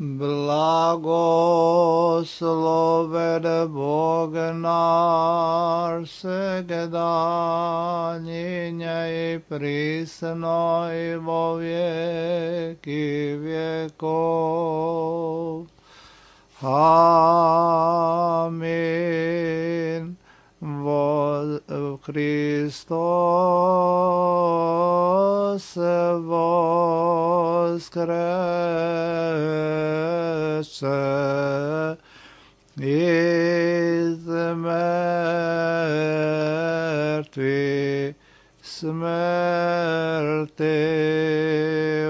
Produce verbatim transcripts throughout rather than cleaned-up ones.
Blagosloven Bog naš svegda, njinja i prisno i vo vijeki vjekov. Amin. Vo Hristos voskreće iz mrtvih, smrti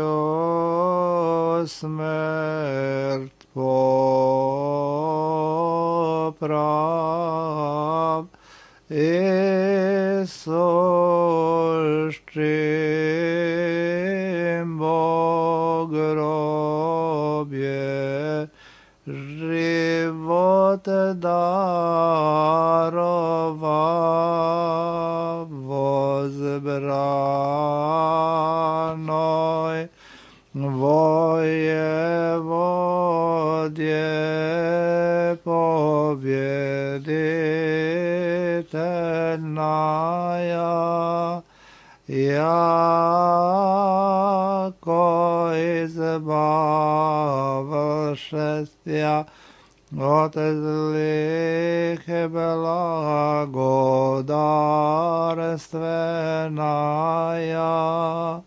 o smrt poprav, Isus čim Bog grobje život darova vozbranoj vojevodje pobjeditelnaja, jako izbavšestja od zlih blagodarstvenaja.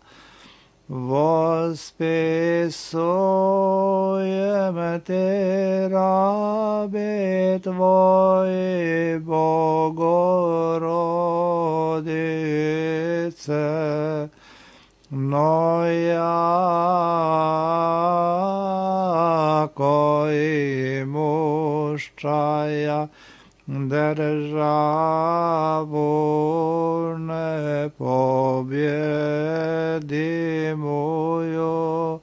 Vospisujem ti rabi tvoji, Bogorodice, no jako i muščaja državu ne pobjedimuju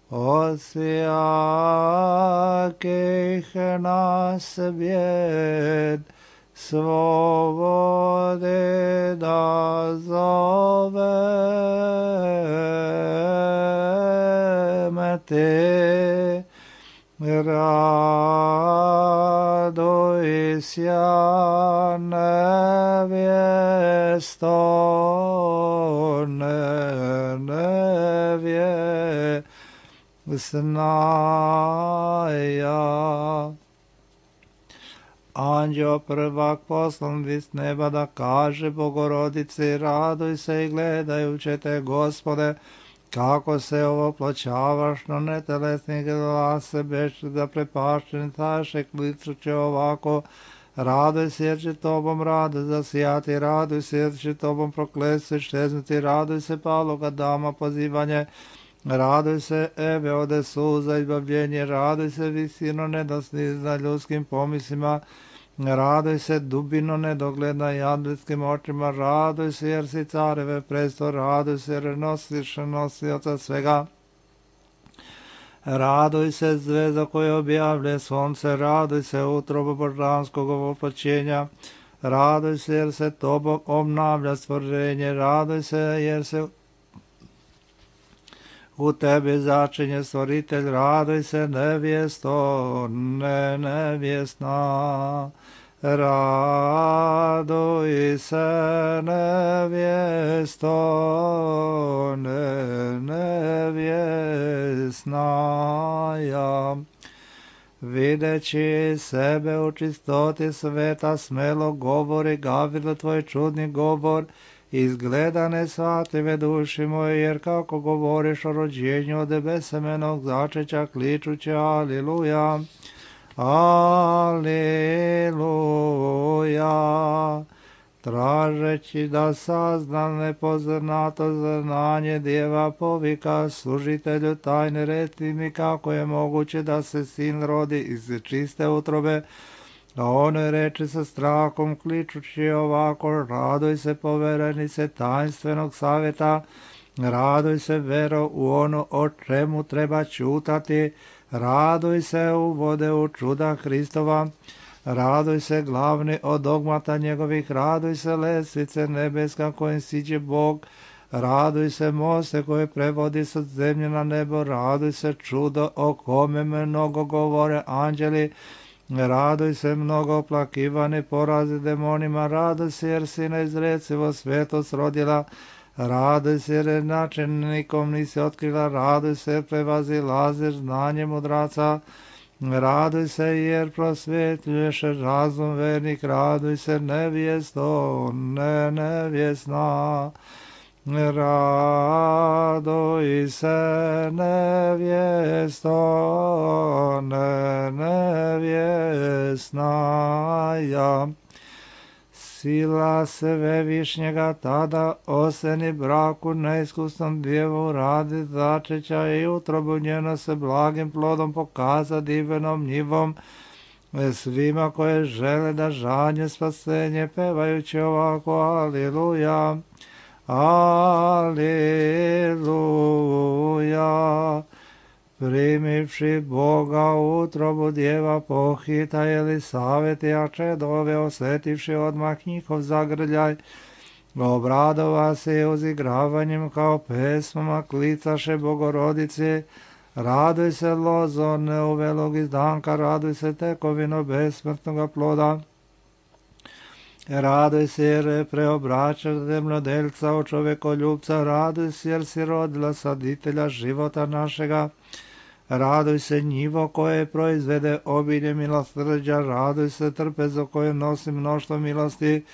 od sjakih nas bjed, svobode da zovem te. Raduj sja nevjesto, ne nevjesnaja. Anđeo prvak poslan vis neba da kaže Bogorodici, raduj se i gledajuće te, Gospode, kako se ovo plaćavaš na netelesnih glase, beš da prepašćen taše klicuće ovako, raduj se jer će tobom rado zasijati, raduj se jer će tobom proklesti šteznuti, raduj se paloga dama pozivanje, raduj se eve ode suza izbavljenje, raduj se visino nedosnizna ljudskim pomislima, raduj se dubino nedogledna jadlitskim očima, raduj se jer si careve presto, raduj se jer nosiš nosioca svega, raduj se zvezda koja objavlje sunce, raduj se utrobo božanskog voplaćenja, raduj se jer se tobom obnavlja stvorenje, raduj se jer se u tebi začinje stvoritelj, raduj se nevjesto, ne nevjesna, raduj se nevjesto, ne nevjesnaja. Videći sebe u čistoti sveta, smelo govori Gavrilo tvoj čudni govor, izgleda nesvatljive duši moje, jer kako govoriš o rođenju od besemenog začeća, kličuće aliluja, aliluja, tražeći da sazna nepoznato znanje djeva povika služitelju tajne, reci mi kako je moguće da se sin rodi iz čiste utrobe, a on reče sa strahom kličući ovako, raduj se poverenice tajnstvenog savjeta, raduj se vero u ono o čemu treba čutati, raduj se uvode u čuda Hristova, raduj se glavni od dogmata njegovih, raduj se lestvice nebeska kojim siđe Bog, Raduj se moste koje prevodi sa zemlje na nebo, raduj se čudo o kome mnogo govore anđeli, raduj se mnogo oplakivani porazi demonima, raduj se jer si neizrecivo svetost rodila, raduj se jer načinikom nisi otkrila, raduj se jer prevazilaziš znanje mudraca, raduj se jer prosvjetljuješ razum vernik, raduj se nevjesto, ne nevjesna. Raduj se nevjesto, ne nevjesna ja. Sila Svevišnjega tada oseni braku neiskusnom djevu radi začeća i utrobu njeno se blagim plodom pokaza divenom njivom svima koje žele da žanje spasenje pevajući ovako aliluja. Aliluja. Primivši Boga utrobu djeva pohita Elisavet, a čedove osjetivši odmah njihov zagrljaj, obradova se uzigravanjem kao pesmama klicaše Bogorodice. Raduj se lozo neuvelog izdanka, raduj se tekovino besmrtnoga ploda. Raduj se jer preobraćaš zemljodelca u čovekoljubca, raduj se jer si rodila saditelja života našega. Raduj se njivo koje proizvede obilje milosrđa, raduj se trpezo koje nosi mnoštvo milosti,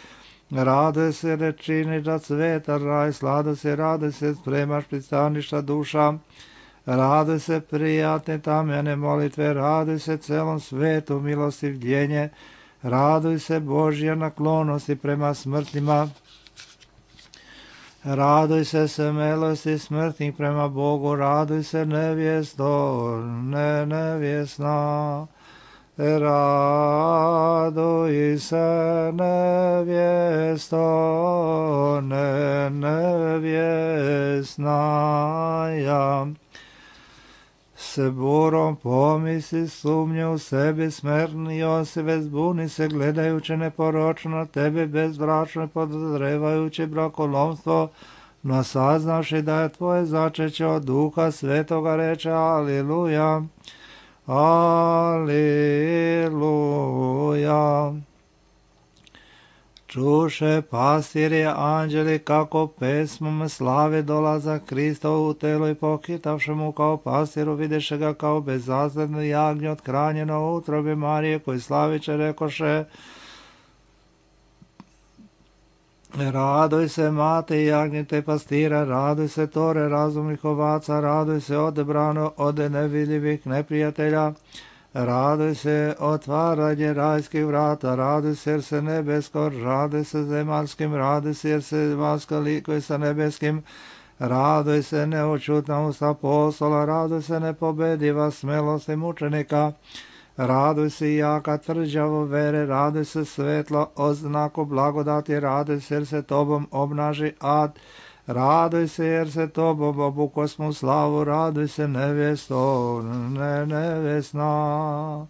raduj se jer činiš da cveta raj, slado se, raduj se spremaš pristaništa duša, raduj se prijatne tamjane molitve, raduj se celom svetu milostivljenje, raduj se Božja naklonosti prema smrtnima, raduj se smelosti smrtnih prema Bogu, raduj se nevjesto, ne nevjesna. Raduj se nevjesto, ne nevjesna ja. Se burom pomisli sumnje u sebi smrtni Josive, zbuni se gledajući neporočno na tebe bezbračno i podozrevajući brakolomstvo, no saznavši da je tvoje začeće od Duha Svetoga reče aliluja, aliluja. Čuše pastirje anđeli kako pesmom slave dolaza Krista u telo i pohitavši mu kao pastiru videše ga kao bezazledno jagnje othranjeno u utrobi Marije koji slaviće rekoše: raduj se mate i jagnjete pastira, raduj se tore razumnih ovaca, raduj se odebrano od nevidljivih neprijatelja, raduj se otvaranje rajskih vrata, raduj se jer se nebesko, raduj se zemaljskim, raduj se jer se zemaljsko likuje sa nebeskim, raduj se neočutna usta apostola, raduj se nepobediva smelosti mučenika, raduj se jaka tvrđavo vere, raduj se svetlo oznaku blagodati, raduj se jer se tobom obnaži ad, raduj se jer se tobom obukosmu slavu, raduj se nevjesto, ne nevjesna.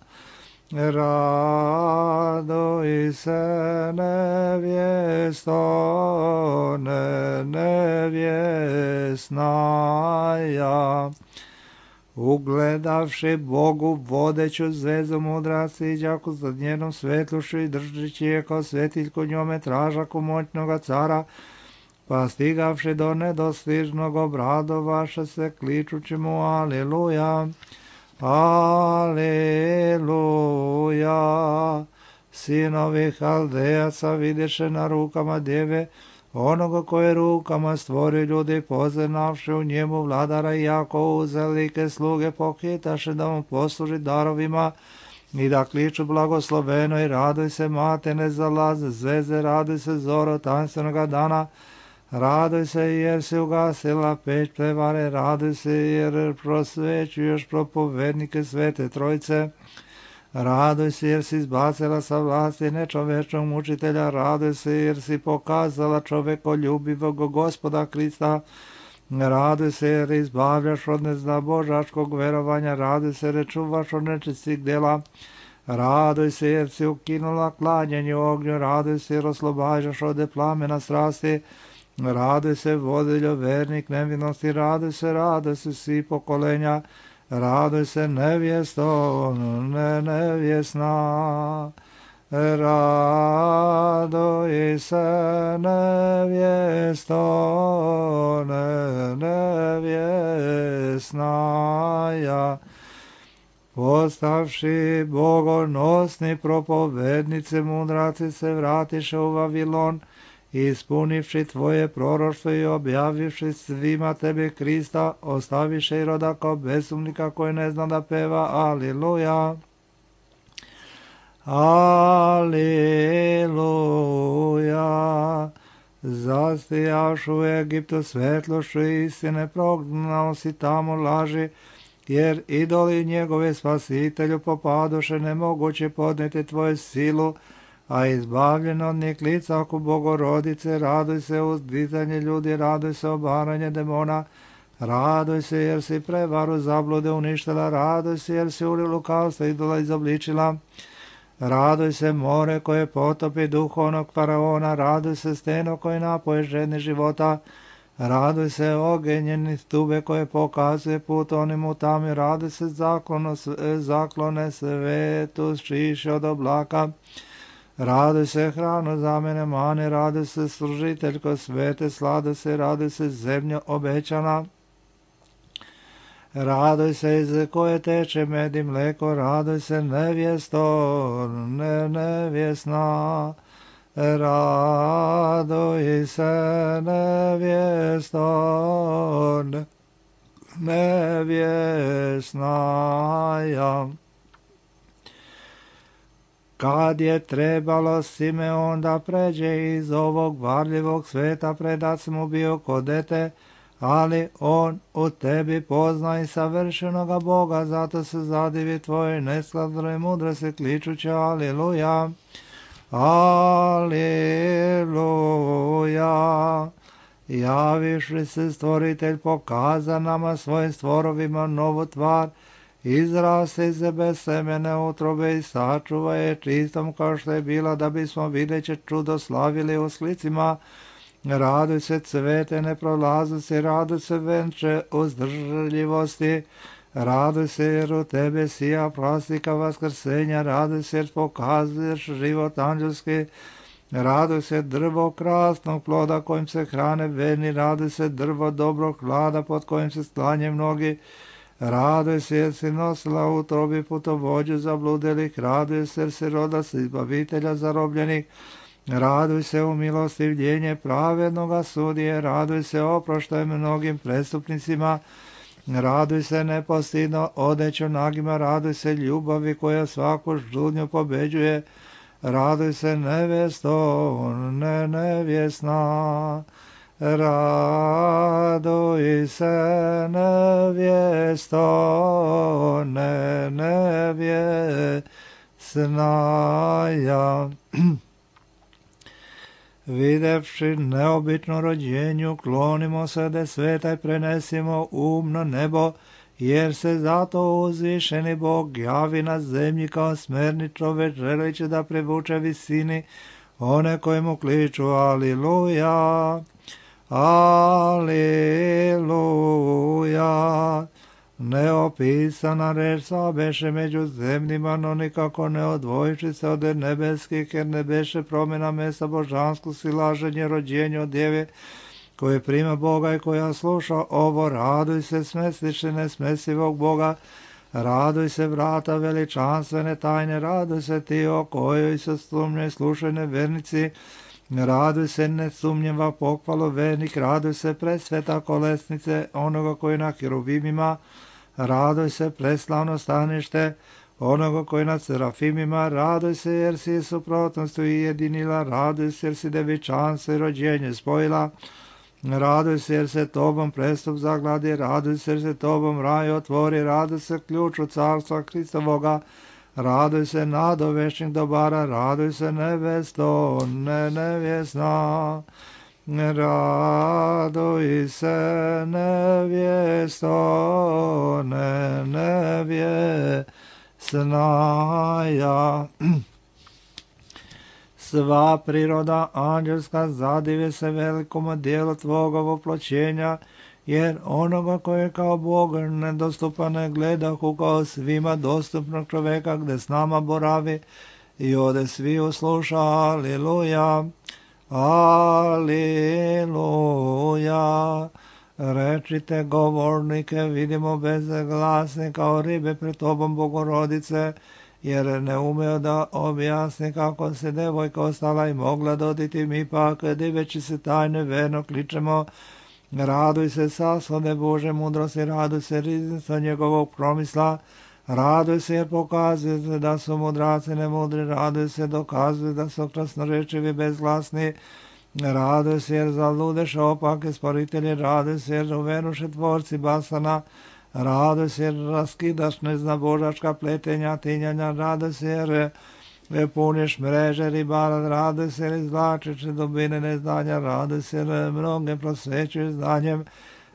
Raduj se nevjesto, ne nevjesna ja. Ugledavši Bogu vodeću zvezu mudraci i đaku za njenom svetlušu i držeći je kao svetiljku njome tražaku moćnoga cara, pa stigavši do nedostižnog obradovaše se kličući mu aliluja, aliluja. Sinovi Haldejaca vidiše na rukama djeve onoga koje rukama stvori ljudi, poznavši u njemu vladara i jako uzelike sluge pohitaše da mu posluži darovima i da kliču blagosloveno i raduj se mate ne zalaze zveze, raduj se zoro tanstvenoga dana, raduj se jer si ugasila peć prevare, raduj se jer prosvećuješ propovednike Svete Trojice, raduj se jer si izbacila sa vlasti nečovečnog mučitelja, raduj se jer si pokazala čovekoljubivog Gospoda Krista, raduj se jer izbavljaš od neznabožačkog verovanja, raduj se jer čuvaš od nečistih dela, raduj se jer si ukinula klanjanje u ognju, raduj se jer oslobađaš od plamena strasti, Raduj se, vodiljo, vernik nevinosti, raduj se, raduj se, svi pokolenja, raduj se, nevjesto, ne nevjesna. Raduj se, nevjesto, ne nevjesnaja. Postavši bogonosni propovednice, mudraci se vratiše u Vavilon, ispunivši tvoje proroštvo i objavivši svima tebi Krista, ostaviše Iroda kao besumnika koji ne zna da peva. Aliluja. Aliluja. Zastijaš u Egiptu svetlošću istine, prognao si tamo laži, jer idoli njegove spasitelju popadoše, nemoguće podnijeti tvoju silu, a izbavljen od njih lica oko Bogorodice. Raduj se uzdizanje ljudi, raduj se obaranje demona, raduj se jer si prevaru zablude uništila, raduj se jer si uli lukavstva idola izobličila, raduj se more koje potopi duhovnog faraona, raduj se steno koje napoje žedni života, raduj se ogenjeni stube koje pokazuje put onim u tami, raduj se zaklono, zaklone svetu šiše od oblaka, raduj se hrano za mene mane, raduj se služiteljko svete, sladuj se, raduj se zemljo obećana, raduj se iz koje teče med i mleko, raduj se nevjesto, ne nevjesna, raduj se nevjesto, ne nevjesnaja. Kad je trebalo Simeon da pređe iz ovog varljivog sveta, predat mu bio ko dete, ali on u tebi pozna i savršenoga Boga, zato se zadivi tvojoj neskladnoj mudrosti, kličući aliluja, aliluja. Javiš li se stvoritelj, pokaza nama svojim stvorovima novu tvar, izraste iz bez semene utrobe i sačuva je čistom kao što je bila, da bismo videće čudo slavili u slicima. Raduj se cvete neprolaznosti, raduj se venče uzdržljivosti, raduj se jer u tebe sija plastika vaskrsenja, raduj se jer pokazuješ život anđelski, raduj se drvo krasnog ploda kojim se hrane verni, raduj se drvo dobrog hlada pod kojim se sklanje mnogi, raduj se jer si nosila u utrobi putovođu zabludelih, raduj se jer si roda se izbavitelja zarobljenih, raduj se u milostivljenje pravednoga sudije, raduj se oproštaj mnogim prestupnicima, raduj se nepostidno odeću nagima, raduj se ljubavi koja svaku žudnju pobeđuje, raduj se nevjesto, ne nevjesna, raduj se nevjesto, ne nevjesnaja. Videvši neobično rođenju, klonimo se de sveta i prenesimo umno nebo, jer se zato uzvišeni Bog javi na zemlji kao smerni čovek, želeći da privuče visini one koji mu kliču aliluja, aliluja. Neopisana reč sva beše među zemljima, no nikako ne odvojiši se od nebeskih, jer ne beše promjena mesta božanskog silaženje rođenja od djeve, koje prima Boga i koja sluša ovo. Raduj se smestiše nesmesivog Boga, raduj se vrata veličanstvene tajne, raduj se ti o kojoj se sumnjoj slušaj nevernici, raduj se nesumnjiva pohvalo vernik, raduj se presveta kolesnice onoga koji na hiruvimima, raduj se preslavno stanište onoga koji nad serafimima, raduj se jer si suprotnost ujedinila, raduj se jer si devičanstvo i rođenje spojila, raduj se jer se tobom prestup zagladi, raduj se jer se tobom raj otvori, raduj se ključ od carstva Hristovoga, raduj se nadovešćih dobara, raduj se nevesto, ne nevjesna, raduj se nevjesto, ne nevjesnaja. Sva priroda anđelska zadive se velikom dijelu tvoga voploćenja, jer onoga koje kao Bog nedostupan ne gledahu kao svima dostupnog čoveka gde s nama boravi i ode svi usluša. Aleluja, aleluja. Rečite govornike, vidimo bezglasne kao ribe pred tobom Bogorodice, jer ne umeo da objasni kako se devojka ostala i mogla doditi, mi pak diveći se tajne verno kličemo. Raduj se saslade Bože mudrosti, raduj se riznica njegovog promisla, raduj se jer pokazuje da su mudraci nemudri, raduj se dokazuje da su krasnorečivi bezglasni, raduj se jer zaludeš opake sporitelji, raduj se jer uveruše tvorci basana, raduj se jer raskidaš neznabožačka pletenja, tinjanja, raduj se jer puniš mreže ribara, raduj se jer izvlačiš dubine neznanja, raduj se jer mnoge prosvećuješ znanjem,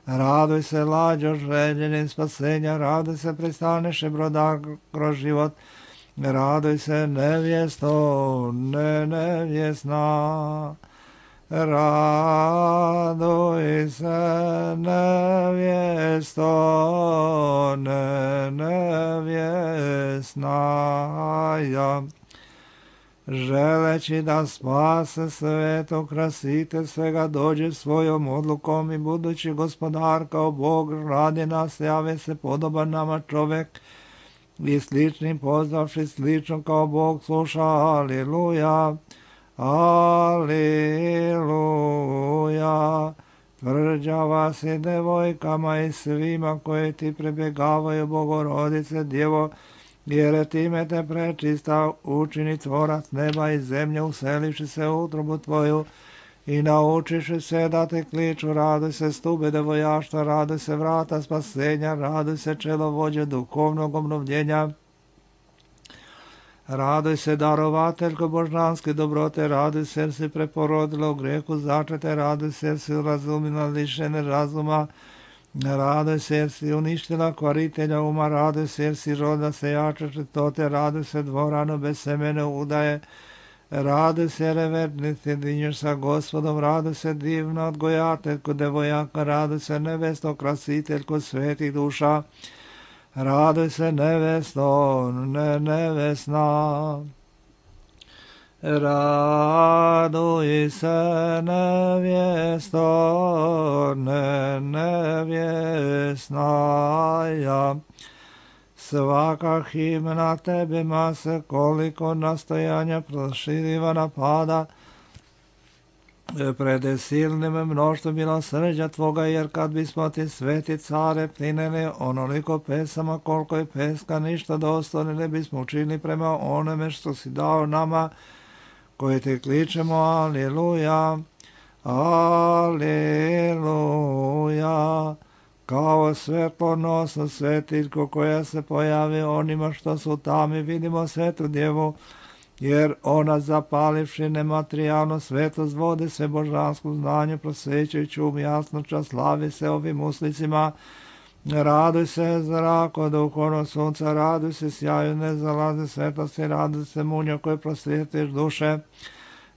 raduj se lađo željenim spasenja, raduj se pristaneš broda kroz život, raduj se nevjesto, ne nevjesna. Raduj se nevjesto, ne nevjesna. Ja. Želeći da spase sveto, krasite svega, dođe svojom odlukom i budući gospodar kao Bog radi nas, jave se podoban nama čovek i sličnim pozdravši slično kao Bog sluša. Aleluja, aleluja. Tvrđava si devojkama i svima koje ti prebjegavaju, Bogorodice Djevo, jer time te prečista učini tvorac neba i zemlje, uselivši se u utrobu tvoju i naučiši se da te kliču. Raduj se stube devojaštva, raduj se vrata spasenja, raduj se čelo vođe duhovnog obnovljenja, raduj se darovateljko božanske dobrote, raduj se jer si preporodila u grehu začete, raduj se jer si razumila lišene razuma, raduj se jer si uništila kvaritelja uma, raduj se jer si roda sejača četote, raduj se dvorano bez semene udaje, raduj se reverni sjedinješ sa Gospodom, raduj se divna odgojateljko devojaka, raduj se nevesto krasiteljko svetih duša, raduj se nevesto, ne nevesna. Raduj se nevjesto, ne nevjesna. Ja. Svaka himna tebima se koliko nastojanja proširiva napada, pred silnim mnoštvom milosrđa tvoga, jer kad bismo ti sveti care plinili onoliko pesama koliko je peska ništa dostojne ne bismo učinili prema onome što si dao nama koji te kličemo. Aleluja, aleluja. Kao svetlonosno svetiljko koja se pojavi onima što su tamo, vidimo svetu Djevu, jer ona zapalivši nematerijalno svetlost vode sve božansku znanju, prosvećujući um jasnoća, slavi se ovim uslicima. Raduj se zrako duhovno sunca, raduj se sjaju nezalaze svetlosti, raduj se munjo koje prosvjetiš duše,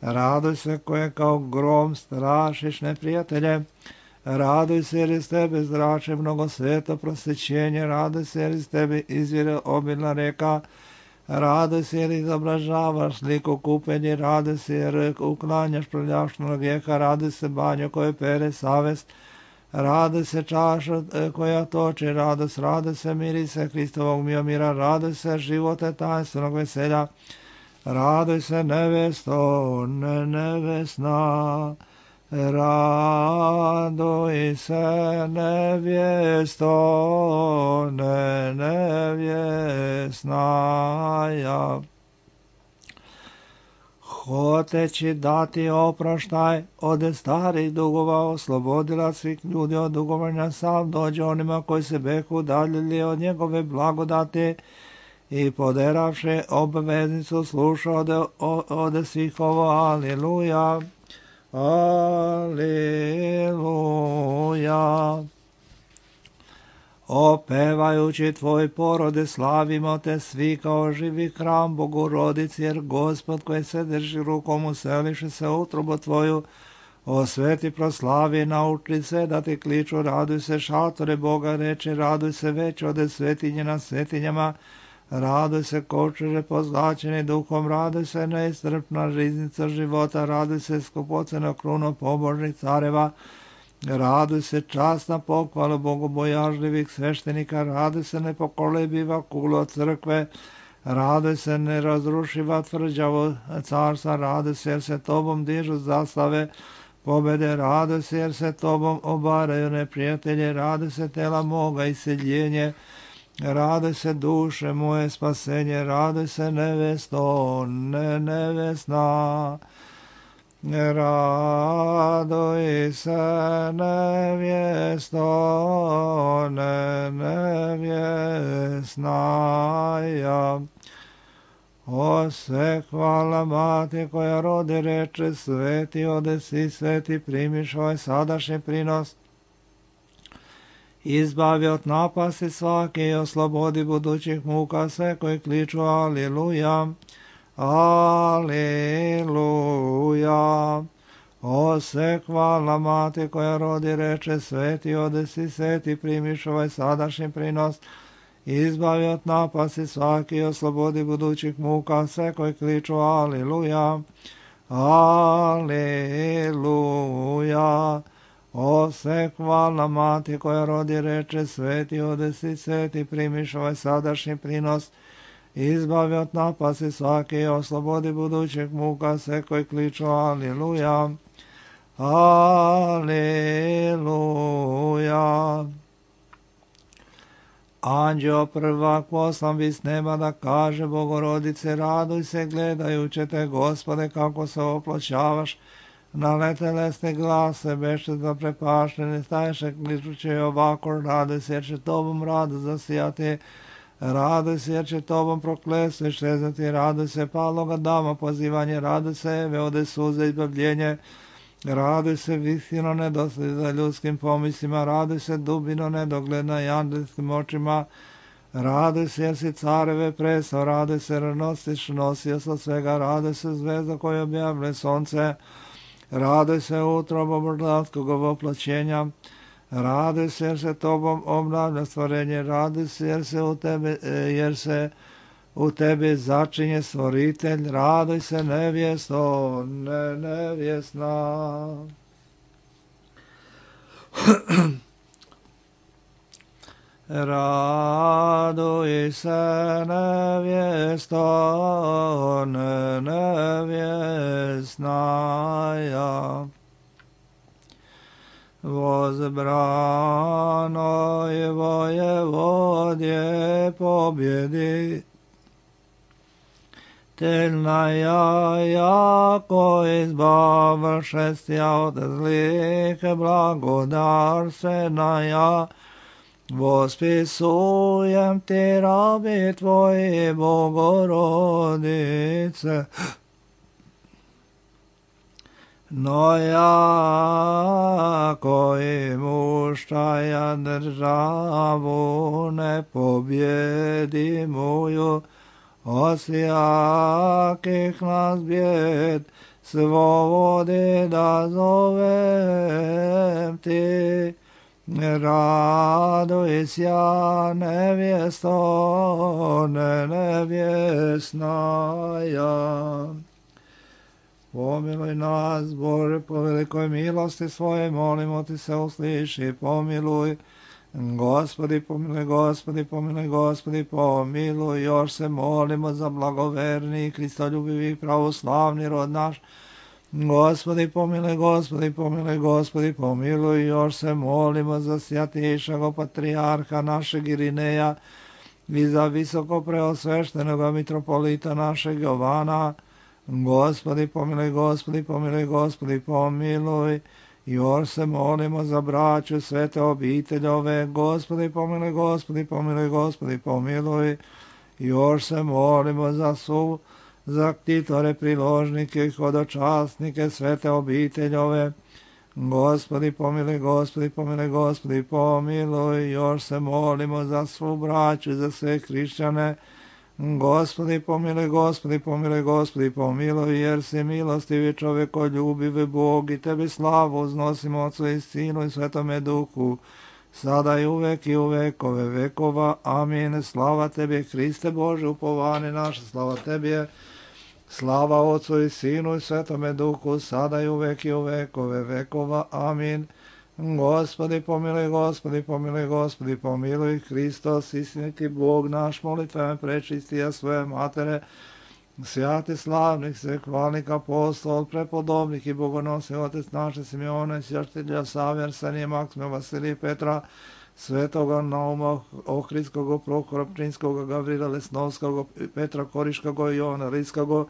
raduj se koje kao grom strašiš neprijatelje, raduj se jer iz tebe zrače mnogo sveto prosvećenje, raduj se jer iz tebe izvire obilna reka, raduj se jer izobražavaš sliku kupenje, raduj se jer uklanjaš prljavštinu grijeha, raduj se banjo koje pere savest, raduj se čaša koja toči radost, raduj se mirise Hristovog mira, raduj se živote tajstvenog veselja, raduj se nevesto, ne nevesna, raduj se nevjesto, ne nevjesna. Ja. Hoteći dati oproštaj od starih dugova, oslobodila svih ljudi od dugovanja, sam dođe onima koji se behu udaljili od njegove blagodati i poderavši obveznicu sluša ode, ode svih ovo. Aleluja, aleluja. Opevajući tvoj porode, slavimo te svi kao živi hram Bogorodici, jer Gospod koji se drži rukom useliše se u utrobu tvoju, osveti, proslavi, nauči se da ti kliču, raduj se šatore Boga, reče, raduj se već ode svetinje na svetinjama, raduj se kočere pozlačeni duhom, raduj se neistrpna riznica života, raduj se skupoceno kruno pobožnih careva, raduj se časna pohvala bogobojažljivih sveštenika, raduj se nepokolebiva kulo crkve, raduj se nerazrušiva tvrđavo carstva, raduj se jer se tobom dižu zastave pobede, raduj se jer se tobom obaraju neprijatelje, raduj se tela moga iseljenje, raduj se duše moje spasenje, raduj se nevesto, ne nevesna. Raduj se nevjesto, ne nevjesnaja. O sve hvala mati koja rodi, reče, sveti odesi, sveti primiš ovaj sadašnji prinos. Izbavi od napasti svake i oslobodi budućih muka sve koji kliču aliluja. Aleluja. O se hvala mati koja rodi, reče, sveti odesi, sveti primiš ovaj sadašnji prinos, izbavi od napasti svaki i oslobodi budućih muka sve koji kliču aleluja. Aleluja. O se hvala mati koja rodi, reče, sveti odesi, sveti primiš ovaj sadašnji prinos, izbavi od napasti svaki i oslobodi budućih muka sve koji kliču aleluja. Aleluja. Anđeo prvak poslan bi s neba da kaže Bogorodice, raduj se gledajuće te, Gospode, kako se oploćavaš, na letelesne glase beše zaprepaštene, staješe kličuće ovako, raduj se jer će tobom rado zasijati, raduj se jer će tobom prokletstvo iščeznuti, raduj se paloga dama pozivanje, raduj se Eve ode suze izbavljenje, raduj se visino nedosleda ljudskim pomislima, raduj se dubino nedogledna i andelskim očima, raduj se jer si careve preso, raduj se jer nosiš nosio sa svega, raduj se zvezda koju objavlja sonce, raduj se utrobo brdlatskog ovoplaćenja, raduj se jer se tobom obnavlja stvorenje, raduj se jer se u tebe, jer se u tebi začinje stvoritelj, raduj se nevjesto, ne nevjesna. Raduj se nevjesto, ne nevjesnaja. Возбранoj vojevodje pobjedi, Telnaja jako izbavšestja od zlih blagodarstvenaja, vospisujem ti rabi tvoji Bogorodice. No ja koji muštaja državu ne pobjedi moju, osjakih nas bjed svobodi da zovem ti. Raduj sja nevjesto, ne nevjesnaja. Pomiluj nas, Bože, po velikoj milosti svoje, molimo ti se, usliši, pomiluj. Gospodi, pomiluj, Gospodi, pomiluj, Gospodi, pomiluj. Još se molimo za blagoverni, kristoljubivi, pravoslavni rod naš. Gospodi, pomiluj, Gospodi, pomiluj, Gospodi, pomiluj. Još se molimo za svjatišago patrijarha našeg Irineja i za visoko preosveštenog mitropolita našeg Jovana. Gospodi, pomiluj, Gospodi, pomiluj, Gospodi, pomiluj. Još se molimo za braću svete obiteljove. Gospodi, pomiluj, Gospodi, pomiluj, Gospodi, pomiluj. Još se molimo za su, za ktitore, priložnike i hodočasnike svete obiteljove. Gospodi pomiluj, Gospodi pomiluj, Gospodi pomiluj, još se molimo za svu braću i za sve hrišćane. Gospodi pomiluj, Gospodi pomiluj, Gospodi pomiluj, jer si milostivi čovekoljubivi Bog i tebi slavu uznosimo Otcu i Sinu i Svetome Duhu, sada i uvek i u vekove vekova. Amin. Slava tebi, Hriste Bože, upovanje naše, slava tebi je. Slava Otcu i Sinu i Svetome Duhu, sada i uvek i u vekove vekova. Amin. Gospodi pomiluj, Gospodi pomiluj, Gospodi pomiluj, Hristos, istiniti Bog naš, molitvama prečistija svoje matere, svjati slavnih, sve hvalnik apostol, prepodobnih i bogonosni otec naše Simeona, svjaštitelja Save, Arsenija, Maksima, Vasilija, Petra, Svetoga Nauma, Ohridskog, Prohora Pčinskog, Gavrila Lesnovskog, Petra Koriškog, Jovana Rijskog,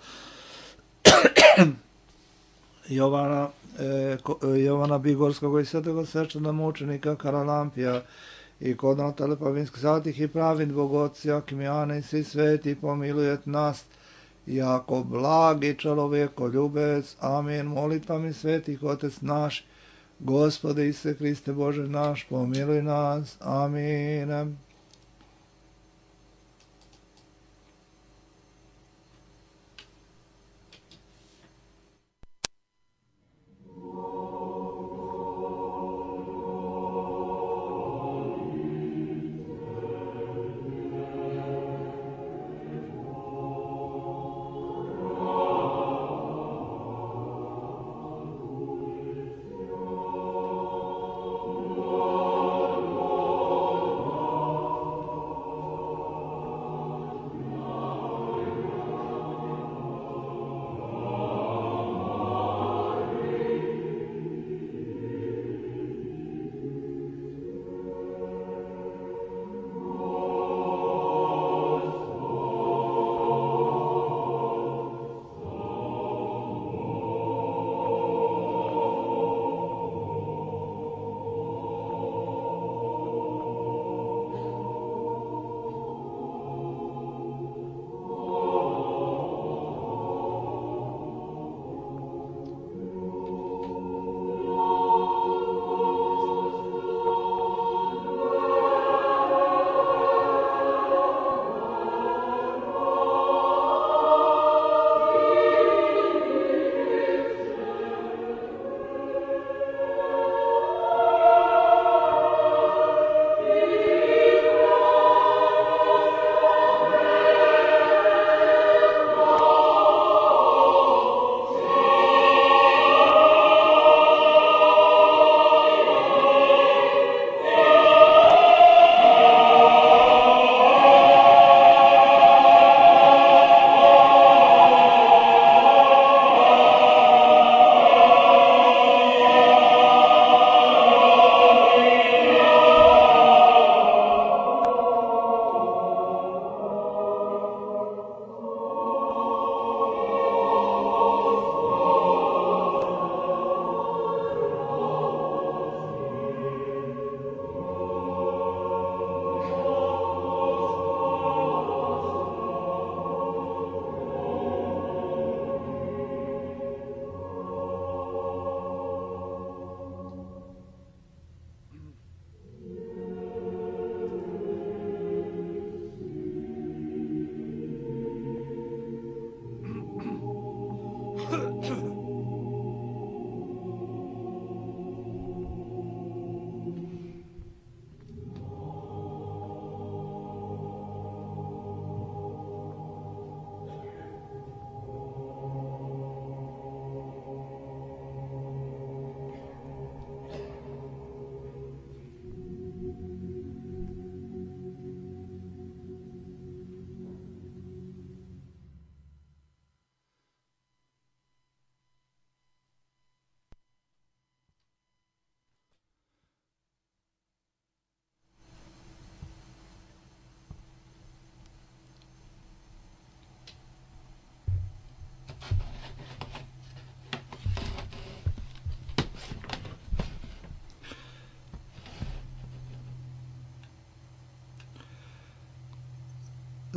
Jovana, e, Jovana Bigorskog i Svetog svečanog mučenika Karalampija i kod Natale Pavinskih svatih i pravin Bogoci, Akimijane i svi sveti, pomilujet nas, jako blagi čovjeko ljubec. Amin. Molitvami svetih Otec naš, Gospode Isuse Hriste Bože naš, pomiluj nas. Amin.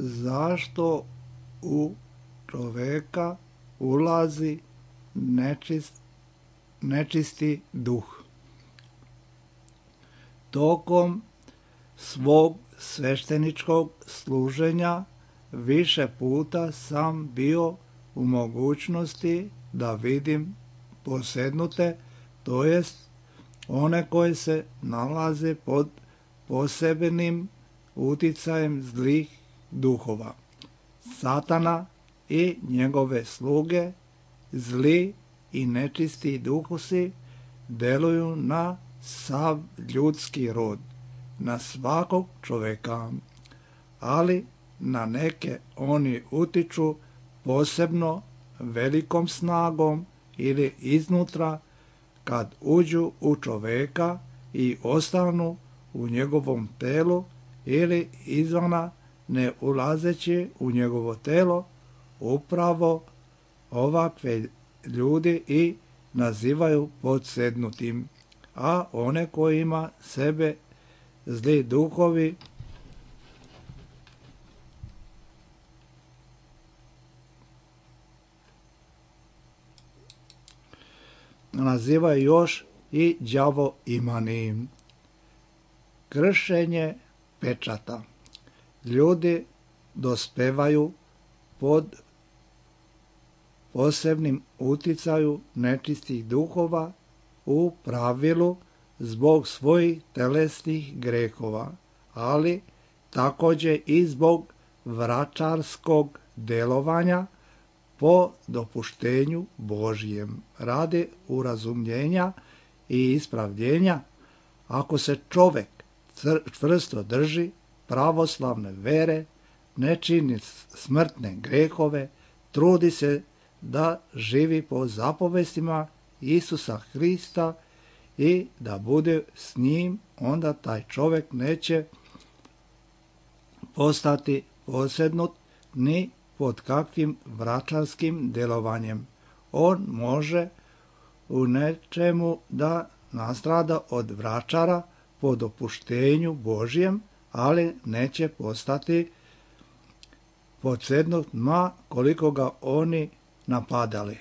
Zašto u čoveka ulazi nečist nečisti duh. Tokom svog svešteničkog služenja više puta sam bio u mogućnosti da vidim posednute, to jest one koje se nalaze pod posebnim uticajem zlih duhova. Satana i njegove sluge, zli i nečisti duhovi, deluju na sav ljudski rod, na svakog čoveka, ali na neke oni utiču posebno velikom snagom ili iznutra kad uđu u čoveka i ostanu u njegovom telu, ili izvana ne ulazeći u njegovo telo. Upravo ovakve ljudi i nazivaju podsednutim, a one kojima sebe zli duhovi nazivaju još i đavo imanim. Kršenje pečata. Ljudi dospevaju pod posebnim uticaju nečistih duhova u pravilu zbog svojih telesnih grehova, ali također i zbog vračarskog delovanja po dopuštenju Božijem, radi urazumljenja i ispravljenja. Ako se čovek čvrsto drži pravoslavne vere, ne čini smrtne grehove, trudi se da živi po zapovestima Isusa Hrista i da bude s njim, onda taj čovek neće postati posednut ni pod kakvim vračarskim delovanjem. On može u nečemu da nastrada od vračara po dopuštenju Božijem, ali neće postati podsednut ma koliko ga oni napadali.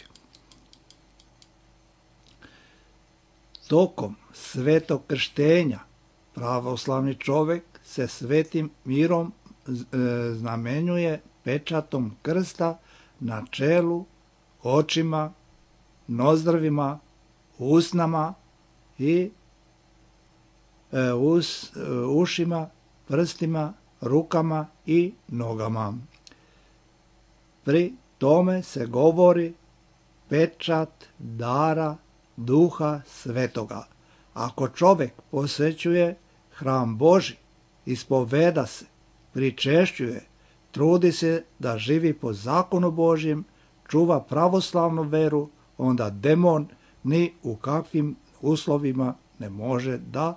Tokom svetog krštenja pravoslavni čovek se svetim mirom znamenjuje pečatom krsta na čelu, očima, nozdrvima, usnama i e, us, e, ušima, prstima, rukama i nogama. Pri tome se govori pečat dara Duha Svetoga. Ako čovek posećuje hram Boži, ispoveda se, pričešćuje, trudi se da živi po zakonu Božjem, čuva pravoslavnu veru, onda demon ni u kakvim uslovima ne može da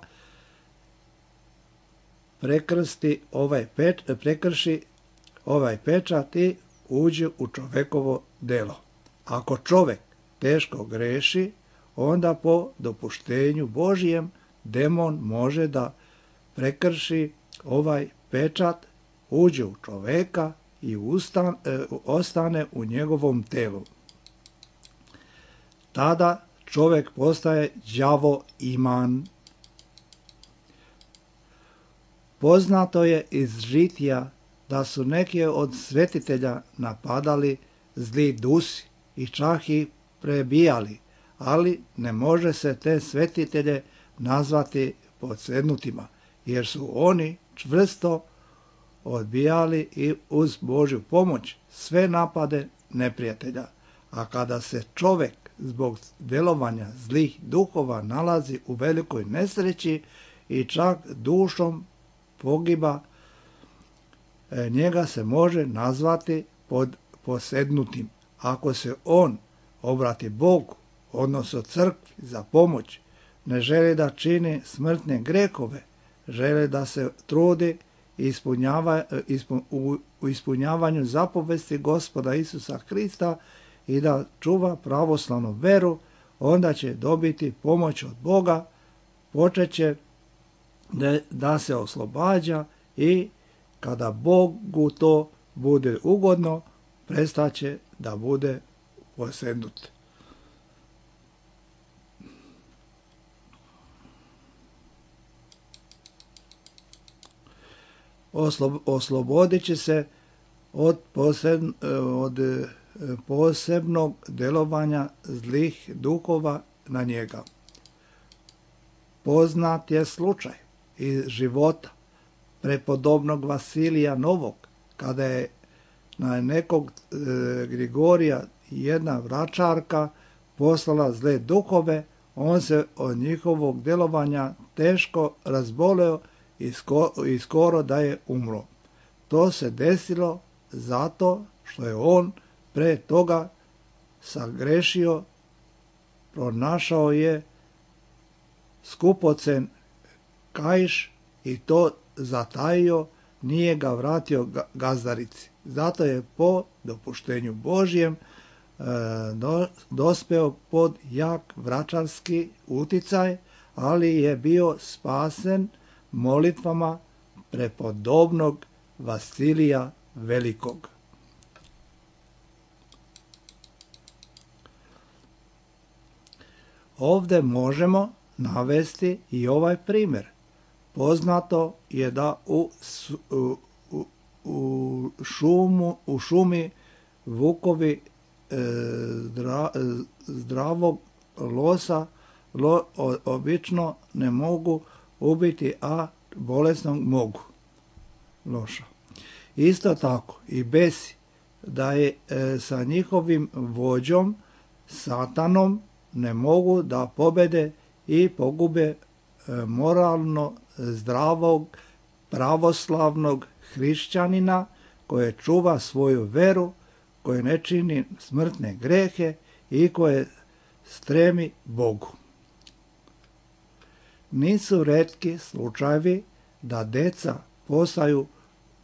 prekrsti ovaj peč, prekrši ovaj pečat i uđe u čovekovo delo. Ako čovek teško greši, onda po dopuštenju Božijem demon može da prekrši ovaj pečat, uđe u čoveka i ustan, e, ostane u njegovom telu. Tada čovek postaje đavo iman. Poznato je iz žitija da su neki od svetitelja napadali zli dusi i čak ih prebijali, ali ne može se te svetitelje nazvati podsednutima, jer su oni čvrsto odbijali i uz Božju pomoć sve napade neprijatelja. A kada se čovek zbog delovanja zlih duhova nalazi u velikoj nesreći i čak dušom pogiba, njega se može nazvati pod posednutim. Ako se on obrati Bogu, odnosno crkvi za pomoć, ne želi da čini smrtne grehove, želi da se trudi ispunjava, ispun, u, u ispunjavanju zapovesti Gospoda Isusa Hrista i da čuva pravoslavnu veru, onda će dobiti pomoć od Boga, počeće da, da se oslobađa i kada Bogu to bude ugodno, prestaće da bude posednut. oslobodit će se od, posebn, od posebnog delovanja zlih duhova na njega. Poznat je slučaj iz života prepodobnog Vasilija Novog, kada je na nekog e, Grigorija jedna vračarka poslala zle duhove, on se od njihovog delovanja teško razboleo i, sko, i skoro da je umro. To se desilo zato što je on pre toga sagrešio, pronašao je skupocen kaiš i to zatajio, nije ga vratio gazdarici. Zato je po dopuštenju Božjem e, do, dospeo pod jak vračarski uticaj, ali je bio spasen molitvama prepodobnog Vasilija Velikog. Ovde možemo navesti i ovaj primjer. Poznato je da u, u, u, šumu, u šumi vukovi e, zdra, zdravog losa lo, o, obično ne mogu ubiti, a bolesnog mogu. Loša. Isto tako i besi, da je e, sa njihovim vođom, satanom, ne mogu da pobede i pogube e, moralno zdravog, pravoslavnog hrišćanina koje čuva svoju veru, koje ne čini smrtne grehe i koje stremi Bogu. Nisu retki slučajevi da deca postaju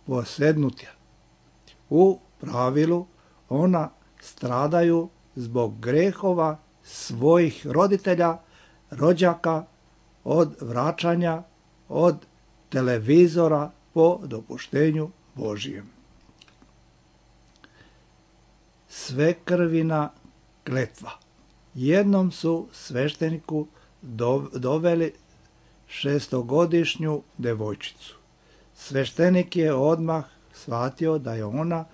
posednutja. U pravilu ona stradaju zbog grehova svojih roditelja, rođaka, od vraćanja, od televizora po dopuštenju Božijem. Svekrvina kletva. Jednom su svešteniku doveli šestogodišnju devojčicu. Sveštenik je odmah shvatio da je ona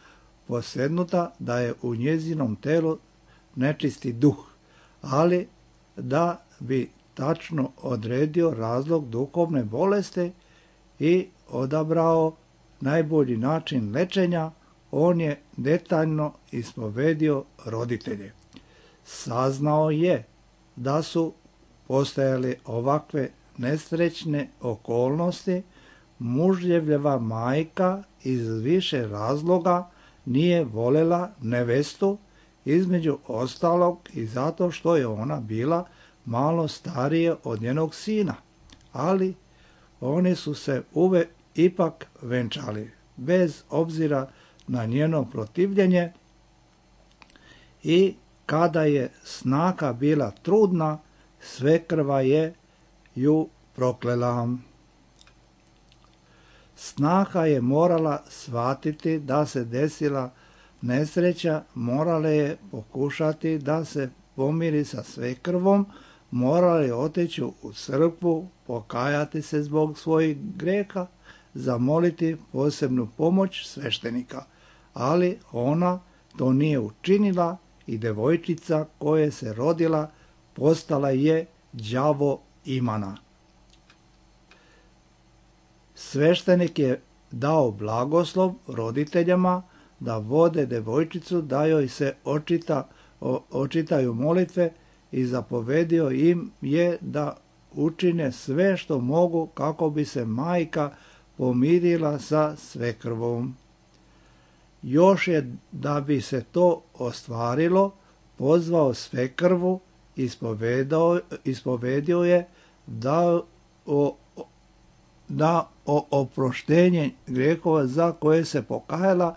posednuta, da je u njezinom telu nečisti duh, ali da bi tačno odredio razlog duhovne bolesti i odabrao najbolji način lečenja, on je detaljno ispovedio roditelje. Saznao je da su postojale ovakve nesrećne okolnosti, mužljevljeva majka iz više razloga nije voljela nevestu, između ostalog i zato što je ona bila malo starije od njenog sina, ali oni su se uvek ipak venčali, bez obzira na njeno protivljenje, i kada je snaha bila trudna, svekrva je ju proklela. Snaha je morala shvatiti da se desila nesreća, morala je pokušati da se pomiri sa svekrvom, morala je otići u crkvu, pokajati se zbog svojih greha, zamoliti posebnu pomoć sveštenika, ali ona to nije učinila i devojčica koja se rodila postala je đavo imana. Sveštenik je dao blagoslov roditeljama da vode devojčicu, da joj se očita, o, očitaju molitve i zapovedio im je da učine sve što mogu kako bi se majka pomirila sa svekrvom. Još je, da bi se to ostvarilo, pozvao svekrvu, ispovedao, ispovedio je da o, da o oproštenje grehova za koje se pokajala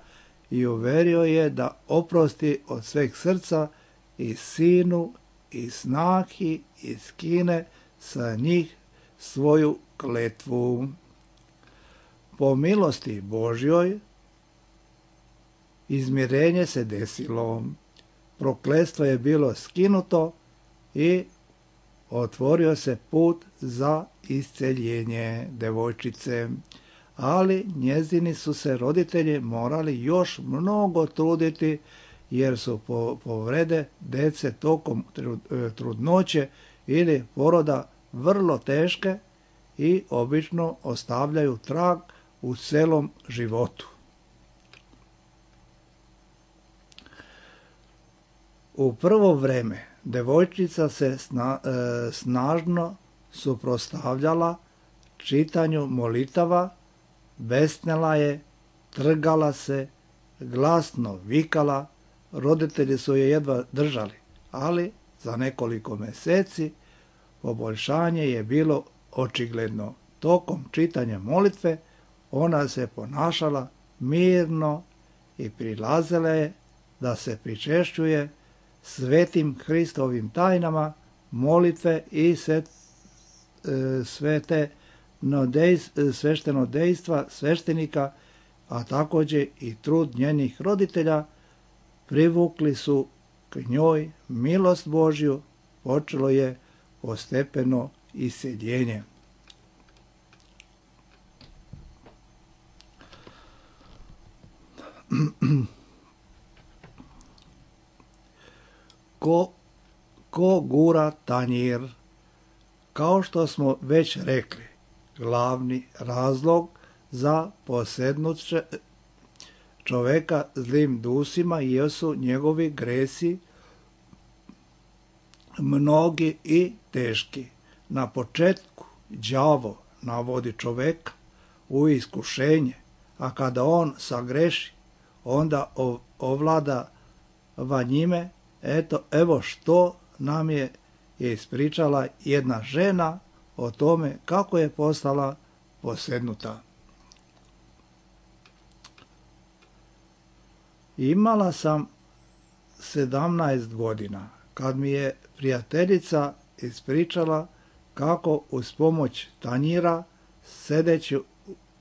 i uverio je da oprosti od sveg srca i sinu i snahi i skine sa njih svoju kletvu. Po milosti Božjoj izmirenje se desilo, prokletstvo je bilo skinuto i otvorio se put za isceljenje devojčice, ali njezini su se roditelji morali još mnogo truditi jer su povrede dece tokom trudnoće ili poroda vrlo teške i obično ostavljaju trag u celom životu. U prvo vreme devojčica se sna, e, snažno suprotstavljala čitanju molitava, besnela je, trgala se, glasno vikala, roditelji su je jedva držali, ali za nekoliko meseci poboljšanje je bilo očigledno. Tokom čitanja molitve ona se ponašala mirno i prilazila je da se pričešćuje svetim Hristovim tajnama molitve i svete svešteno dejstva sveštenika, a također i trud njenih roditelja privukli su k njoj milost Božju, počelo je postepeno iseljenje. Ko, ko gura tanjir? Kao što smo već rekli, glavni razlog za posednuće čoveka zlim dusima jesu njegovi gresi, mnogi i teški. Na početku đavo navodi čoveka u iskušenje, a kada on sagreši, onda ovlada va njime. Eto, evo što nam je ispričala jedna žena o tome kako je postala posednuta. Imala sam sedamnaest godina kad mi je prijateljica ispričala kako uz pomoć tanjira, sedeći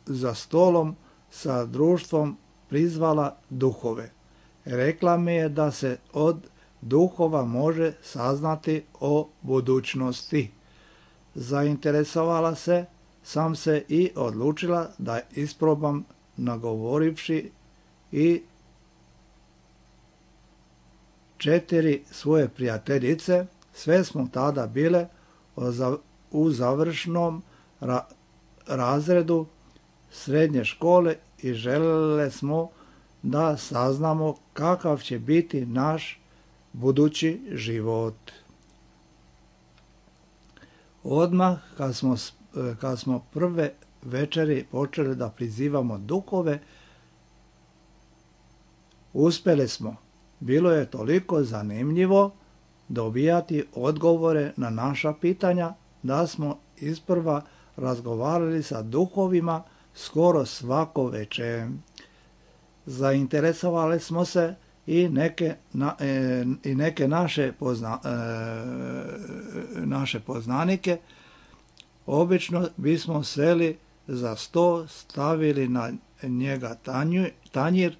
za stolom sa društvom, prizvala duhove. Rekla mi je da se od duhova može saznati o budućnosti. Zainteresovala se sam se i odlučila da isprobam, nagovorivši i četiri svoje prijateljice. Sve smo tada bile u završnom ra- razredu srednje škole i želele smo da saznamo kakav će biti naš budući život. Odmah kad smo, kad smo prve večeri počeli da prizivamo duhove, uspjeli smo. Bilo je toliko zanimljivo dobijati odgovore na naša pitanja da smo isprva razgovarali sa duhovima skoro svako večer. Zainteresovali smo se i neke, na, e, i neke naše, pozna, e, naše poznanike. Obično bismo seli za sto, stavili na njega tanju, tanjir,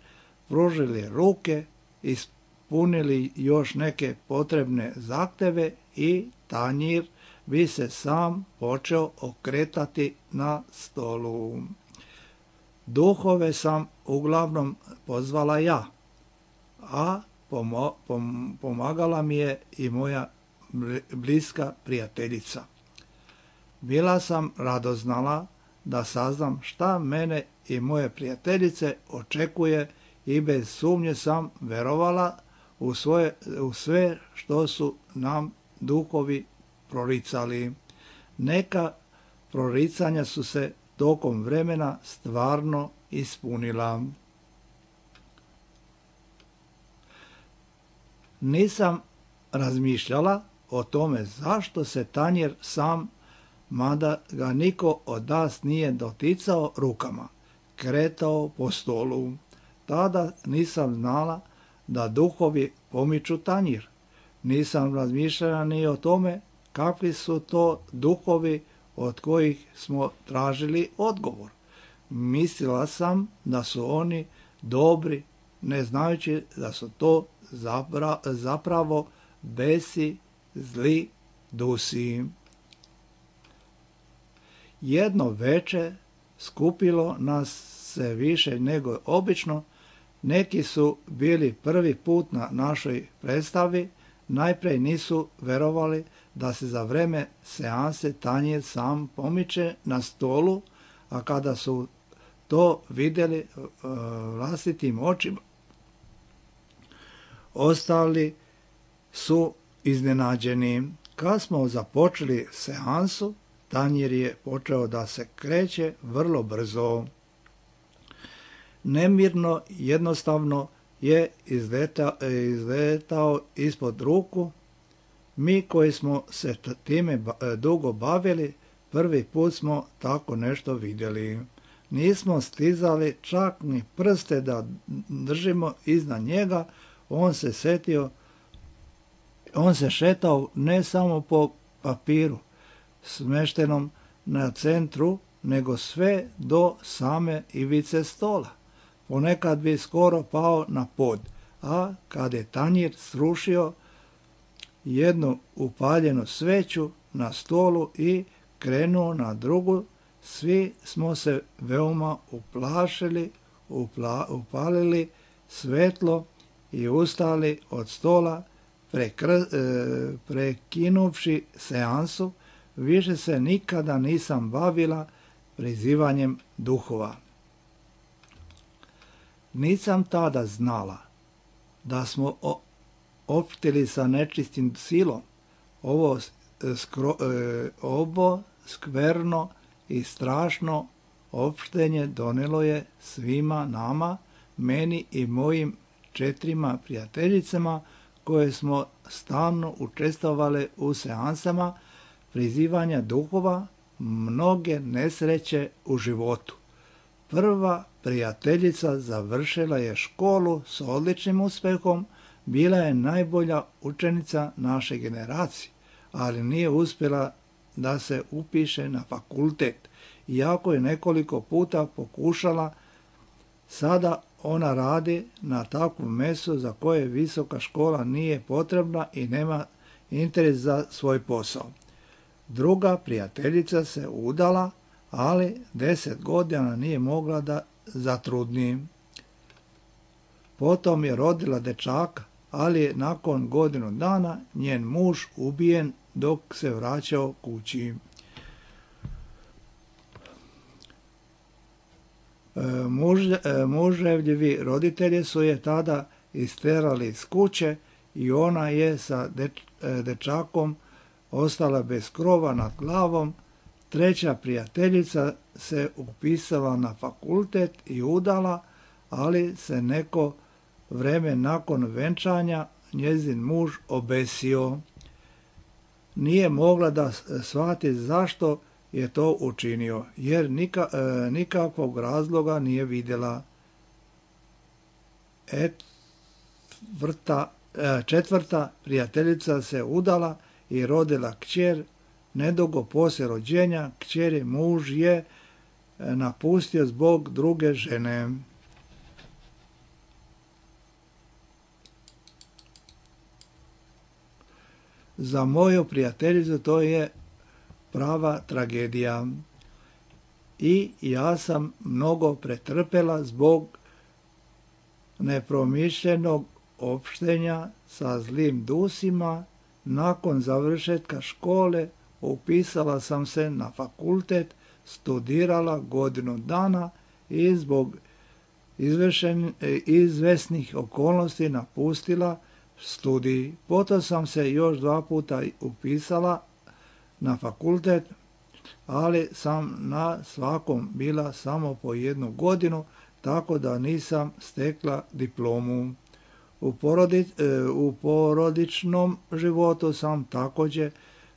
pružili ruke, ispunili još neke potrebne zahteve i tanjir bi se sam počeo okretati na stolu. Duhove sam uglavnom pozvala ja, a pomo, pom, pomagala mi je i moja bliska prijateljica. Bila sam radoznala da saznam šta mene i moje prijateljice očekuje i bez sumnje sam verovala u, svoje, u sve što su nam duhovi proricali. Neka proricanja su se tokom vremena stvarno ispunila. Nisam razmišljala o tome zašto se tanjir sam, mada ga niko od nas nije doticao rukama, kretao po stolu. Tada nisam znala da duhovi pomiču tanjir. Nisam razmišljala ni o tome kakvi su to duhovi od kojih smo tražili odgovor. Mislila sam da su oni dobri, ne znajući da su to zapra, zapravo besi, zli dusi. Jedno veče skupilo nas se više nego obično. Neki su bili prvi put na našoj predstavi, najprej nisu verovali da se za vreme seanse tanjir sam pomiče na stolu, a kada su to vidjeli uh, vlastitim očima, ostali su iznenađeni. Kad smo započeli seansu, tanjir je počeo da se kreće vrlo brzo. Nemirno, jednostavno je izletao, izletao ispod ruku. Mi koji smo se time dugo bavili, prvi put smo tako nešto vidjeli. Nismo stizali čak ni prste da držimo iznad njega. On se setio, on se šetao ne samo po papiru smeštenom na centru, nego sve do same ivice stola. Ponekad bi skoro pao na pod, a kad je tanjir srušio jednu upaljenu sveću na stolu i krenuo na drugu, svi smo se veoma uplašili, upla, upalili svetlo i ustali od stola, prekr, e, prekinuvši seansu. Više se nikada nisam bavila prizivanjem duhova. Nisam tada znala da smo opštili sa nečistim silom. Ovo, skro, e, ovo skverno i strašno opštenje donelo je svima nama, meni i mojim četirima prijateljicama, koje smo stalno učestvovale u seansama prizivanja duhova, mnoge nesreće u životu. Prva prijateljica završila je školu s odličnim uspehom, bila je najbolja učenica naše generacije, ali nije uspjela da se upiše na fakultet, iako je nekoliko puta pokušala. Sada ona radi na takvom mestu za koje visoka škola nije potrebna i nema interes za svoj posao. Druga prijateljica se udala, ali deset godina nije mogla da zatrudni. Potom je rodila dečaka, ali je nakon godinu dana njen muž ubijen dok se vraćao kući. Muž, muževljivi roditelji su je tada isterali iz kuće i ona je sa deč, dečakom ostala bez krova nad glavom. Treća prijateljica se upisala na fakultet i udala, ali se neko vreme nakon venčanja njezin muž obesio. Nije mogla da shvati zašto je to učinio, jer nika, e, nikakvog razloga nije vidjela. Etvrta, e, četvrta prijateljica se udala i rodila kćer. Nedugo poslije rođenja kćeri muž je napustio zbog druge žene. Za moju prijateljicu to je prava tragedija. I ja sam mnogo pretrpela zbog nepromišljenog opštenja sa zlim dusima. Nakon završetka škole upisala sam se na fakultet, studirala godinu dana i zbog izvešen, izvesnih okolnosti napustila studij. Potom sam se još dva puta upisala na fakultet, ali sam na svakom bila samo po jednu godinu, tako da nisam stekla diplomu. U, porodi, u porodičnom životu sam također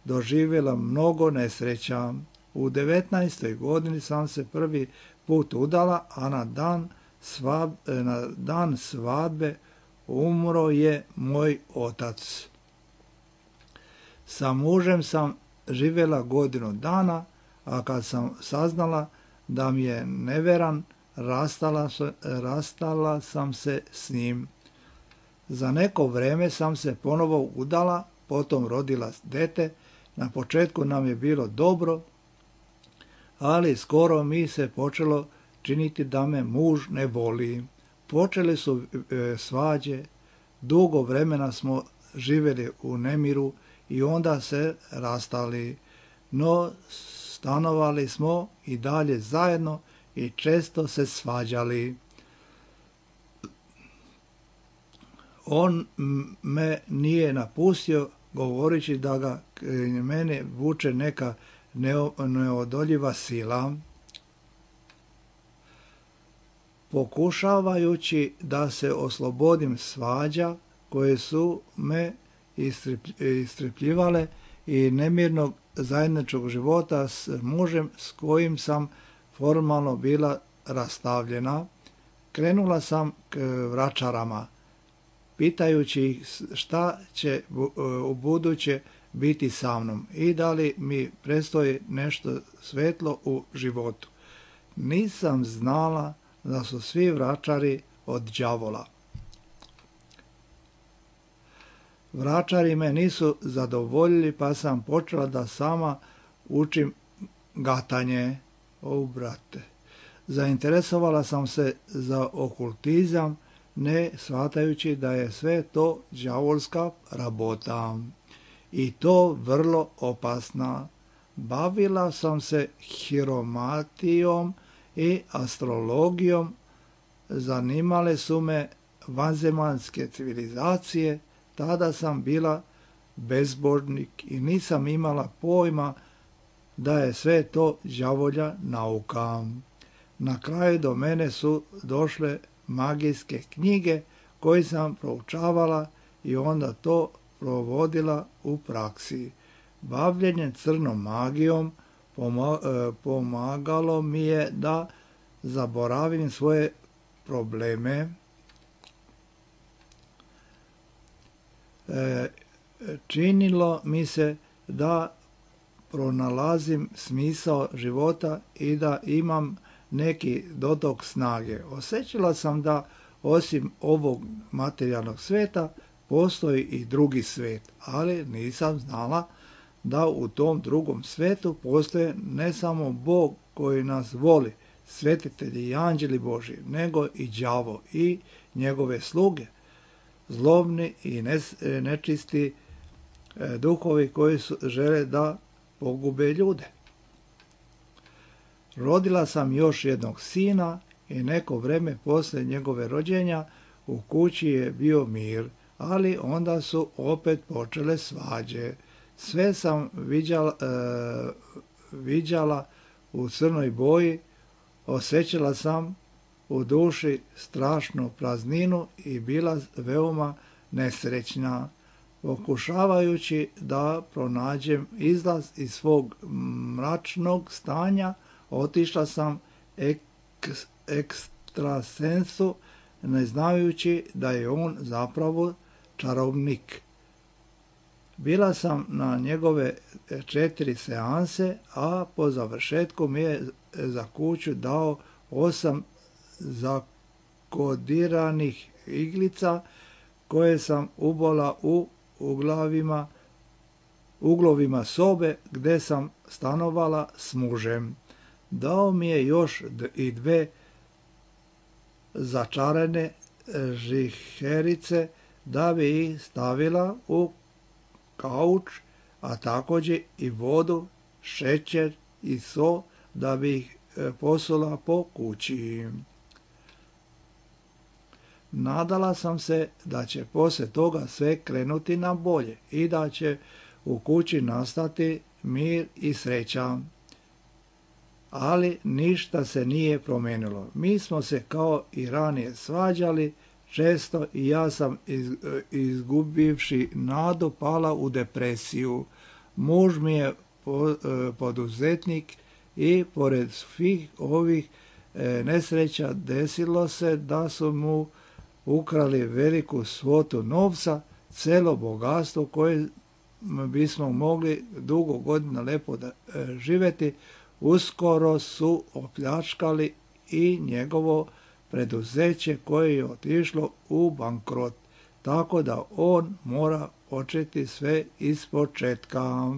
doživjela mnogo nesreća. U devetnaestoj godini sam se prvi put udala, a na dan, svab, na dan svadbe umro je moj otac. Sa mužem sam živjela godinu dana, a kad sam saznala da mi je neveran, rastala, rastala sam se s njim. Za neko vrijeme sam se ponovo udala, potom rodila dete. Na početku nam je bilo dobro, ali skoro mi se počelo činiti da me muž ne voli. Počeli su e, svađe, dugo vremena smo živjeli u nemiru i onda se rastali, no stanovali smo i dalje zajedno i često se svađali. On me nije napustio govoreći da ga mene vuče neka neodoljiva sila. Pokušavajući da se oslobodim svađa koje su me istrpljivale i nemirnog zajedničkog života s mužem s kojim sam formalno bila rastavljena, krenula sam k vračarama, pitajući ih šta će u buduće biti sa mnom i da li mi predstoji nešto svetlo u životu. Nisam znala da su svi vračari od đavola. Vračari me nisu zadovoljili, pa sam počela da sama učim gatanje. O, brate. Zainteresovala sam se za okultizam, ne shvatajući da je sve to đavolska rabota. I to vrlo opasna. Bavila sam se hiromatijom i astrologijom, zanimale su me vanzemaljske civilizacije, tada sam bila bezbožnik i nisam imala pojma da je sve to đavolja nauka. Na kraju do mene su došle magijske knjige koje sam proučavala i onda to provodila u praksi. Bavljenje crnom magijom pomagalo mi je da zaboravim svoje probleme. Činilo mi se da pronalazim smisao života i da imam neki dotok snage. Osjećala sam da osim ovog materijalnog sveta postoji i drugi svet, ali nisam znala da u tom drugom svetu postoje ne samo Bog koji nas voli, svetitelji i anđeli Božji, nego i đavo i njegove sluge, zlobni i nečisti duhovi koji su, žele da pogube ljude. Rodila sam još jednog sina i neko vreme poslije njegove rođenja u kući je bio mir, ali onda su opet počele svađe. Sve sam viđala, e, viđala u crnoj boji, osjećala sam u duši strašnu prazninu i bila veoma nesrećna. Pokušavajući da pronađem izlaz iz svog mračnog stanja, otišla sam ek, ekstrasensu, ne znajući da je on zapravo čarovnik. Bila sam na njegove četiri seanse, a po završetku mi je za kuću dao osam zakodiranih iglica koje sam ubola u uglavima, uglovima sobe gdje sam stanovala s mužem. Dao mi je još i dve začarane žiherice da bi ih stavila u kauč, a također i vodu, šećer i so da bi ih posula po kući. Nadala sam se da će poslije toga sve krenuti na bolje i da će u kući nastati mir i sreća. Ali ništa se nije promijenilo. Mi smo se kao i ranije svađali često i ja sam izgubivši nadu pala u depresiju. Muž mi je poduzetnik i pored svih ovih nesreća desilo se da su mu ukrali veliku svotu novca, celo bogatstvo koje bismo mogli dugo godina lepo da živjeti, uskoro su opljačkali i njegovo preduzeće koje je otišlo u bankrot, tako da on mora početi sve ispočetka.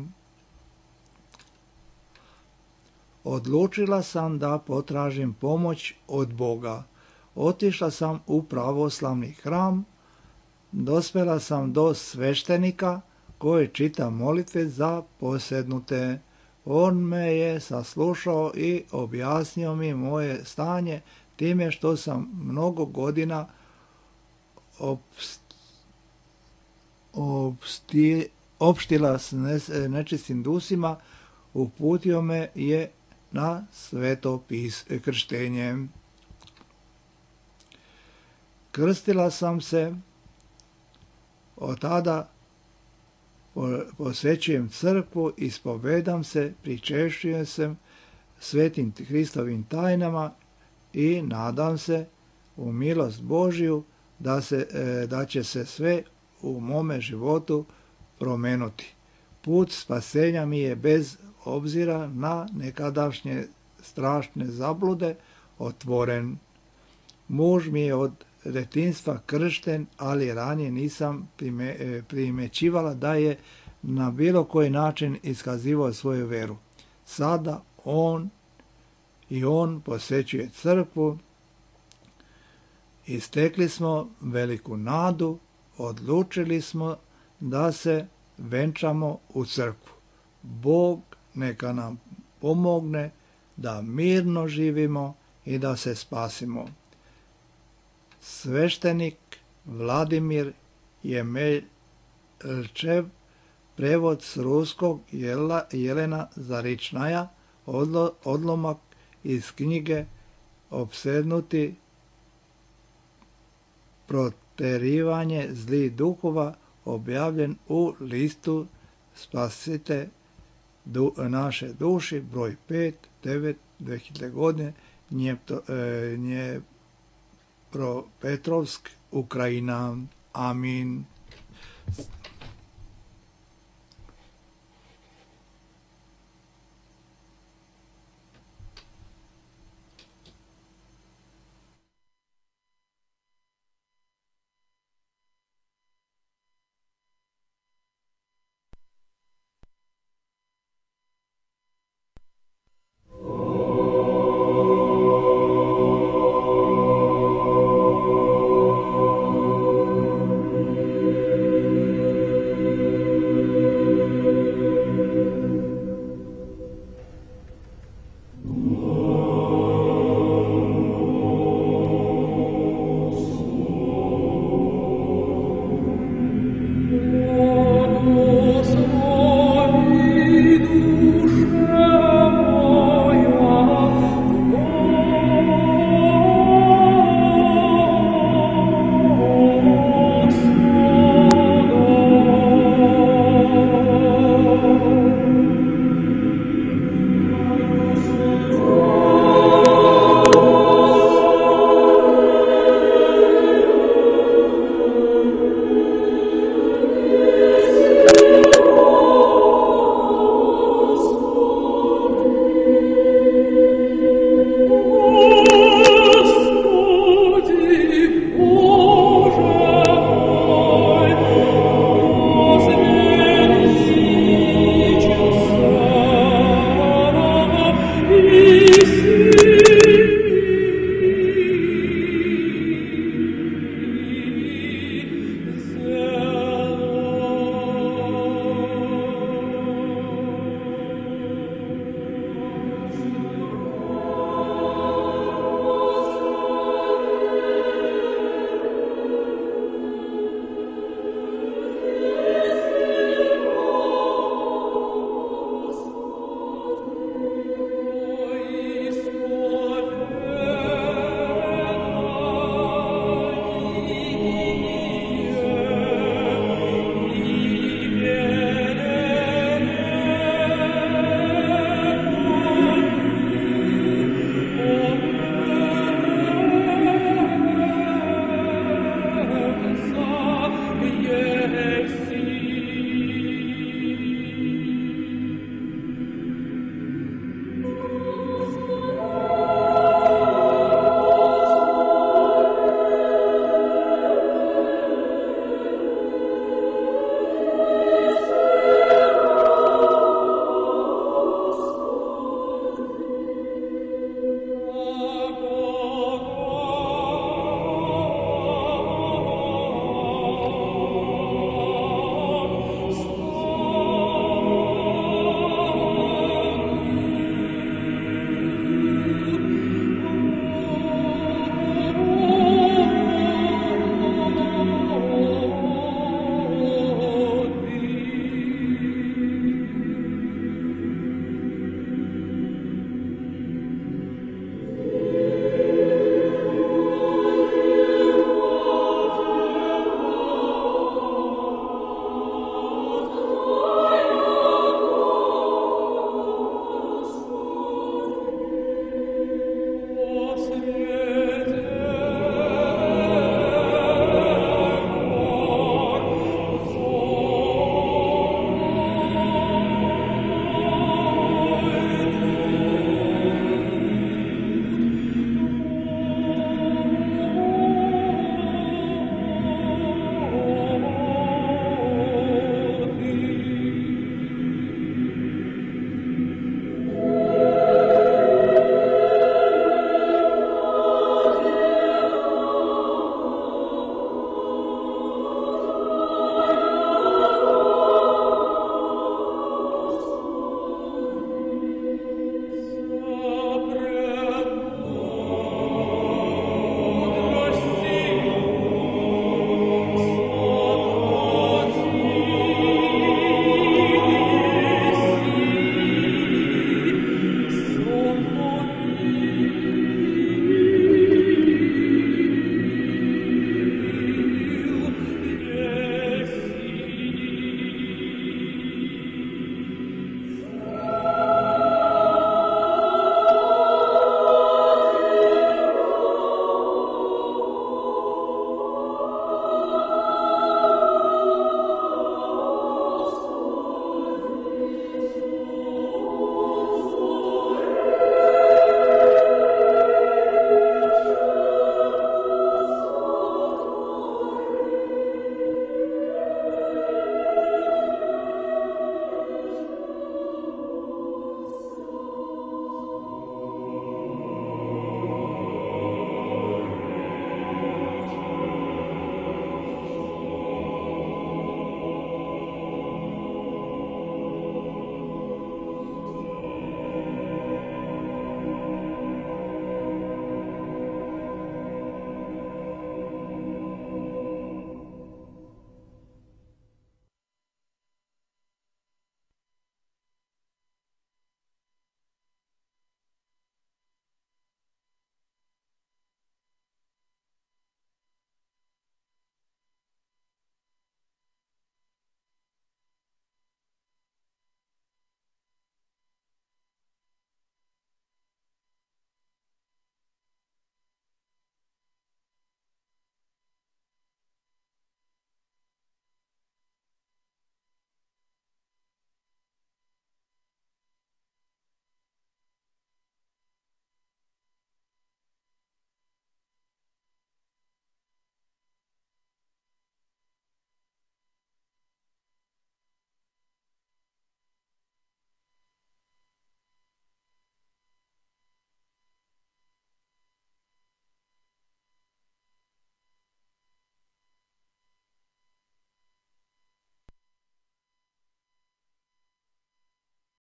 Odlučila sam da potražim pomoć od Boga. Otišla sam u pravoslavni hram, dospjela sam do sveštenika koji čita molitve za posednute. On me je saslušao i objasnio mi moje stanje time što sam mnogo godina opst, opsti, opštila s nečistim dusima, uputio me je na sveto pis, krštenje. Krstila sam se, od tada posvećujem crkvu, ispovedam se, pričešćujem se svetim Hristovim tajnama i nadam se u milost Božju da, se, da će se sve u mome životu promenuti. Put spasenja mi je bez obzira na nekadašnje strašne zablude otvoren. Muž mi je od detinjstva kršten, ali ranije nisam prime, primećivala da je na bilo koji način iskazivao svoju veru. Sada on i on posjećuje crkvu i stekli smo veliku nadu, odlučili smo da se venčamo u crkvu. Bog neka nam pomogne da mirno živimo i da se spasimo. Sveštenik Vladimir Jemelčev, prevod s ruskog Jela, Jelena Zaričnaja, odlo, odlomak iz knjige Opsednuti proterivanje zlih duhova, objavljen u listu Spasite du, naše duši, broj pet, devet, dve hiljade godine, Dnjepropetrovsk, Ukrajina. Amin. Yes.